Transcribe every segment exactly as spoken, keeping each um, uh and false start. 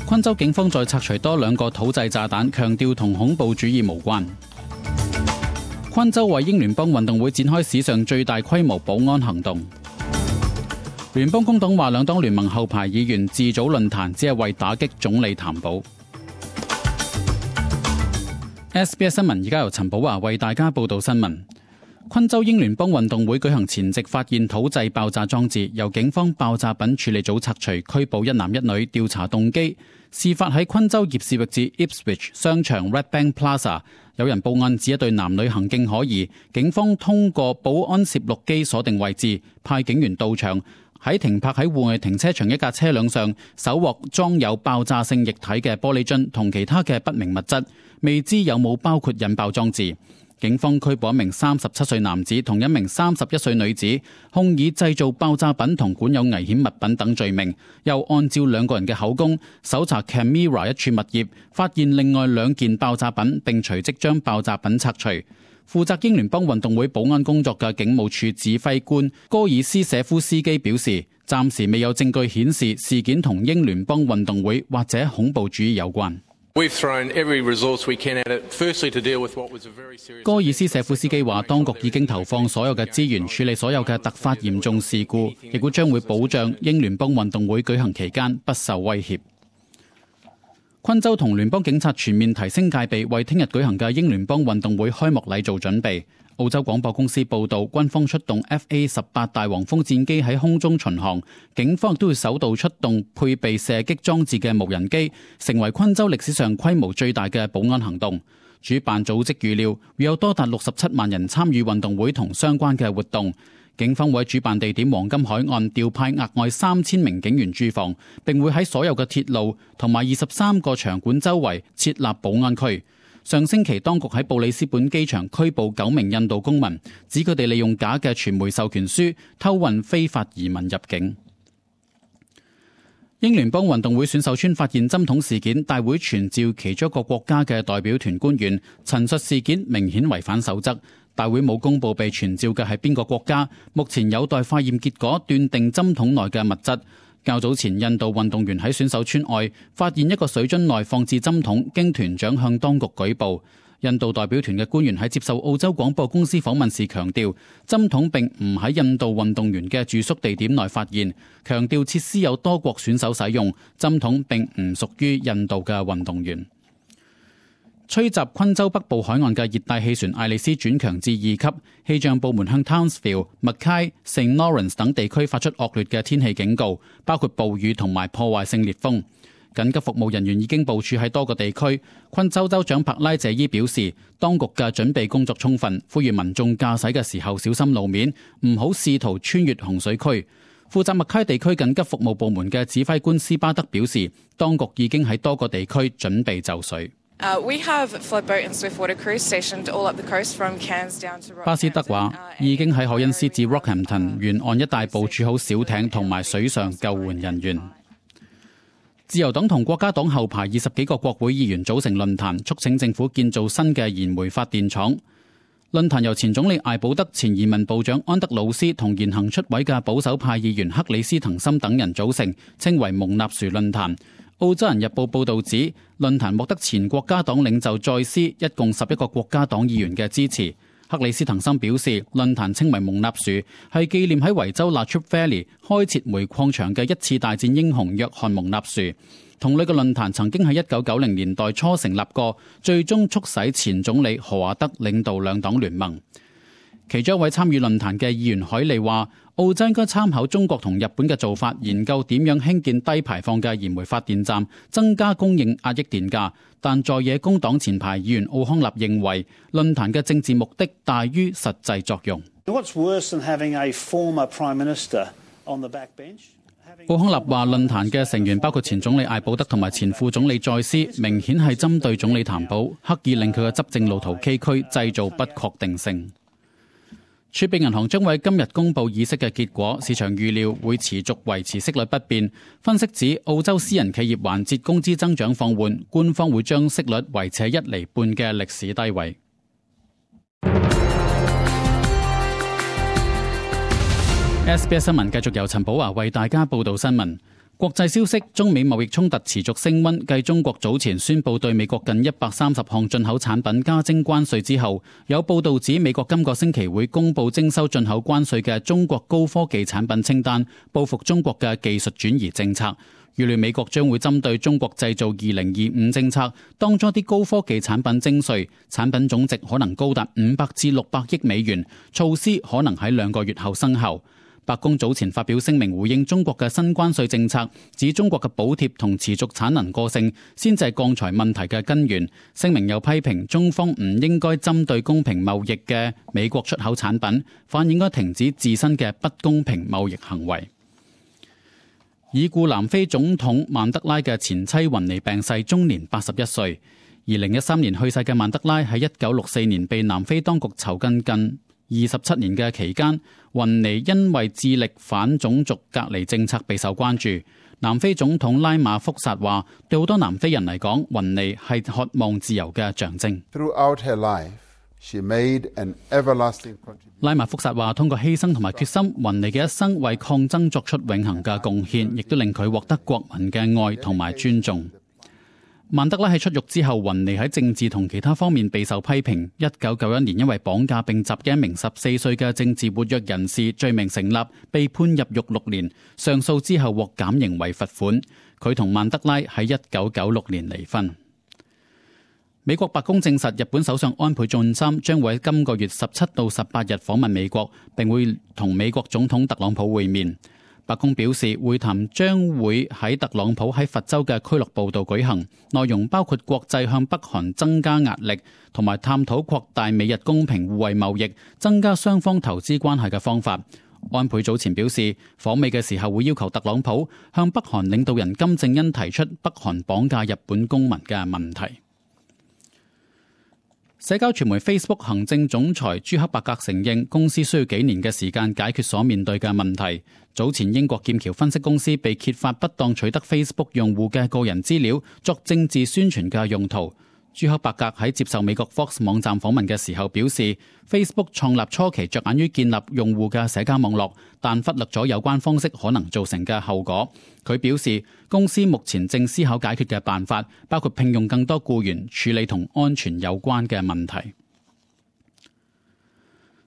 昆州警方再拆除多兩個土製炸彈，強調同恐怖主義無關。昆州為英聯邦運動會展開史上最大規模保安行動。聯邦工黨話兩黨聯盟後排議員自組論壇，只係為打擊總理譚寶。S B S 新聞而家由陳寶華為大家報道新聞。昆州英聯邦運動會舉行前夕發現土製爆炸裝置，由警方爆炸品處理組拆除，拘捕一男一女，調查動機。事發喺昆州葉士域至 Ipswich 商場 Red Bank Plaza， 有人報案指一對男女行徑可疑，警方通過保安攝錄機鎖定位置，派警員到場，喺停泊喺戶外停車場一架車輛上搜獲裝有爆炸性液體嘅玻璃樽同其他嘅不明物質，未知有冇包括引爆裝置。警方拘捕一名三十七歲男子同一名三十一歲女子，控以製造爆炸品同管有危險物品等罪名。又按照兩個人嘅口供，搜查 Camera 一處物業，發現另外兩件爆炸品，並隨即將爆炸品拆除。負責英聯邦運動會保安工作嘅警務處指揮官戈爾斯舍夫斯基表示，暫時未有證據顯示事件同英聯邦運動會或者恐怖主義有關。戈爾斯舍夫斯基話，當局已經投放所有嘅資源處理所有嘅突發嚴重事故，亦會將會保障英聯邦運動會舉行期間不受威脅。昆州同聯邦警察全面提升戒備，為聽日舉行嘅英聯邦運動會開幕禮做準備。澳洲廣播公司報道，軍方出動 F A 十八大黃蜂戰機喺空中巡航，警方亦都會首度出動配備射擊裝置嘅無人機，成為昆州歷史上規模最大嘅保安行動。主辦組織預料會有多達六十七萬人參與運動會同相關嘅活動。警方會喺主辦地點黃金海岸調派額外三千名警員駐防，並會喺所有嘅鐵路同埋二十三個場館周圍設立保安區。上星期當局喺布里斯本機場拘捕九名印度公民，指佢哋利用假嘅傳媒授權書偷運非法移民入境。英聯邦運動會選手村發現針筒事件，大會傳召其中一個國家嘅代表團官員陳述事件明顯違反守則。大會冇公佈被傳召嘅係邊個國家，目前有待化驗結果斷定針筒內嘅物質。較早前，印度運動員喺選手村外發現一個水樽內放置針筒，經團長向當局舉報。印度代表團嘅官員喺接受澳洲廣播公司訪問時強調，針筒並唔喺印度運動員嘅住宿地點內發現，強調設施有多國選手使用，針筒並唔屬於印度嘅運動員。吹襲昆州北部海岸嘅熱帶氣旋艾利斯轉強至二級，氣象部門向 Townsville、Mackay、Saint Lawrence 等地區發出惡劣嘅天氣警告，包括暴雨同埋破壞性烈風。緊急服務人員已經部署喺多個地區。昆州州長柏拉謝伊表示，當局嘅準備工作充分，呼籲民眾駕駛嘅時候小心路面，唔好試圖穿越洪水區。負責麥卡地區緊急服務部門嘅指揮官斯巴德表示，當局已經喺多個地區準備就緒。Uh, we have floodboat and swiftwater crews stationed all up the coast from Cairns down to Rockhampton. 巴斯德話，已經喺凱恩斯至 Rockhampton 沿岸一帶部署好小艇同埋水上救援人員。自由黨同國家黨後排二十幾個國會議員組成論壇，促請政府建造新嘅燃煤發電廠。論壇由前總理艾保德、前移民部長安德魯斯同言行出位嘅保守派議員克里斯滕森等人組成，稱為蒙納殊論壇。澳洲人日報報導指，論壇獲得前國家黨領袖再斯一共十一個國家黨議員嘅支持。克里斯滕森表示，論壇稱為蒙納殊，係紀念喺維州 Latrobe Valley 開設煤礦場嘅一次大戰英雄約翰蒙納殊。同類嘅論壇曾經喺一九九零年代初成立過，最終促使前總理何華德領導兩黨聯盟。其中一位參與論壇嘅議員海利話，澳洲應該參考中國同日本嘅做法，研究點樣興建低排放嘅燃煤發電站，增加供應，壓抑電價。但在野工黨前排議員奧康納認為，論壇嘅政治目的大於實際作用。奧康納話，論壇嘅成員包括前總理艾保德同埋前副總理再斯，明顯係針對總理譚寶，刻意令佢嘅執政路途崎嶇，製造不確定性。儲備銀行將會今日公布議息嘅結果，市場預料會持續維持息率不變。分析指澳洲私人企業環節工資增長放緩，官方會將息率維持喺一厘半嘅歷史低位。S B S 新聞繼續由陳寶華為大家報道新聞。國際消息，中美貿易衝突持續升溫，繼中國早前宣布對美國近一百三十項進口產品加徵關稅之後，有報道指美國今個星期會公布徵收進口關稅嘅中國高科技產品清單，報復中國嘅技術轉移政策。預料美國將會針對中國製造二零二五政策，當中啲高科技產品徵稅，產品總值可能高達五百至六百億美元，措施可能喺兩個月後生效。白宮早前發表聲明回應中國嘅新關稅政策，指中國嘅補貼同持續產能過剩先至係鋼材問題嘅根源。聲明又批評中方唔應該針對公平貿易嘅美國出口產品，反而應該停止自身嘅不公平貿易行為。已故南非總統曼德拉嘅前妻雲尼病逝，終年八十一歲。二零一三年去世嘅曼德拉喺一九六四年被南非當局囚禁近二十七年嘅期間，雲尼因為致力反種族隔離政策備受關注。南非總統拉馬福薩話，對好多南非人嚟講，雲尼係渴望自由嘅象徵。Throughout her life, she made an everlasting contribution. 拉馬福薩話，通過犧牲同埋決心，雲尼嘅一生為抗爭作出永恆嘅貢獻，亦都令佢獲得國民嘅愛同埋尊重。曼德拉喺出獄之後，雲尼喺政治同其他方面備受批評。一九九一年因為綁架並襲擊一名十四歲嘅政治活躍人士，罪名成立，被判入獄六年。上訴之後獲減刑為罰款。佢同曼德拉喺一九九六年離婚。美國白宮證實，日本首相安倍晉三將會喺今個月十七到十八日訪問美國，並會同美國總統特朗普會面。白宮表示，會談將會喺特朗普喺佛州嘅俱樂部度舉行，內容包括國際向北韓增加壓力，同埋探討擴大美日公平互惠貿易、增加雙方投資關係嘅方法。安倍早前表示，訪美嘅時候會要求特朗普向北韓領導人金正恩提出北韓綁架日本公民嘅問題。社交傳媒 Facebook 行政總裁朱克伯格承認，公司需要幾年嘅時間解決所面對嘅問題。早前英國劍橋分析公司被揭發不當取得 Facebook 用戶嘅個人資料作政治宣傳嘅用途。朱克伯格喺接受美國 Fox 網站訪問嘅時候表示， Facebook 創立初期着眼於建立用戶嘅社交網絡，但忽略咗有關方式可能造成嘅後果。佢表示，公司目前正思考解決嘅辦法，包括聘用更多僱員處理同安全有關嘅問題。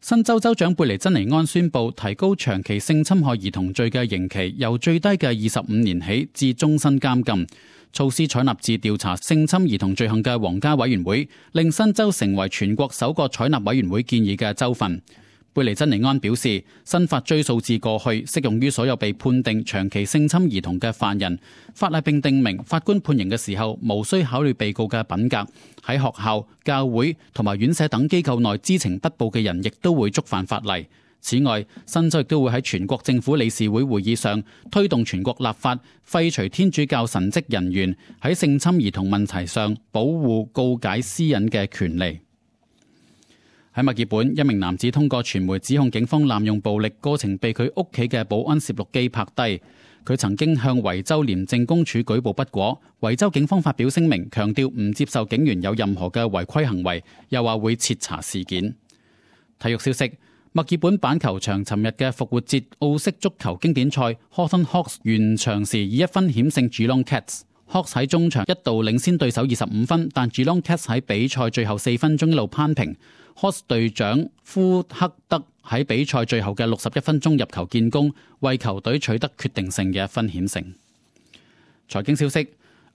新州州長貝尼珍尼安宣布提高長期性侵害兒童罪嘅刑期，由最低嘅二十五年起至終身監禁。措施採納自調查性侵兒童罪行嘅皇家委員會，令新州成為全國首個採納委員會建議嘅州份。貝尼珍尼安表示，新法追溯至過去，適用於所有被判定長期性侵兒童嘅犯人。法例並訂明，法官判刑嘅時候無需考慮被告嘅品格。喺學校、教會同埋院舍等機構內知情不報嘅人，亦都會觸犯法例。此外，新州亦都會喺全國政府理事會會議上推動全國立法，廢除天主教神職人員喺性侵兒童問題上保護告解私隱嘅權利。喺墨爾本，一名男子通過傳媒指控警方濫用暴力，過程被佢屋企嘅保安攝錄機拍低。佢曾經向維州廉政公署舉報不果，維州警方發表聲明，強調唔接受警員有任何嘅違規行為，又話會徹查事件。體育消息，墨爾本板球場尋日嘅復活節澳式足球經典賽 Hawthorn Hawks 完場時以一分險勝 Geelong Cats。Hawks 喺中場一度領先對手二十五分，但 Geelong Cats 喺比賽最後四分鐘一路攀平。Hawks 隊長夫克德喺比賽最後嘅六十一分鐘入球建功，為球隊取得決定性嘅一分險勝。財經消息，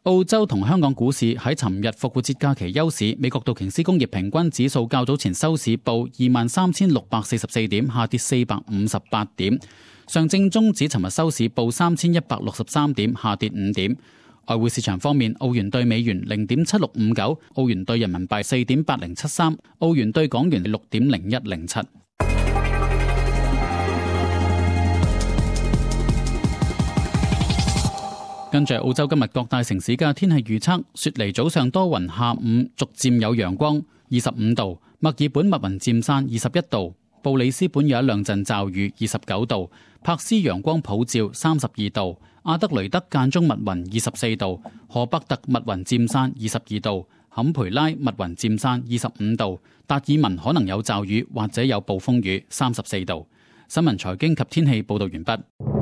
澳洲同香港股市喺尋日復活節假期休市，美國道瓊斯工業平均指數較早前收市報二萬三千六百四十四點，下跌四百五十八點。上證綜指尋日收市報三千一百六十三點，下跌五點。外匯市場方面，澳元兌美元零點七六五九，澳元兌人民幣四點八零七三，澳元兌港元六點零一零七。跟住澳洲今日各大城市嘅天氣預測：雪梨早上多雲，下午逐漸有陽光，二十五度；墨爾本密雲漸散，二十一度；布里斯本有一兩陣驟雨，二十九度；柏斯陽光普照，三十二度；阿德雷德間中密雲，二十四度；荷伯特密雲漸散，二十二度；坎培拉密雲漸散，二十五度；達爾文可能有驟雨或者有暴風雨，三十四度。新聞財經及天氣報道完畢。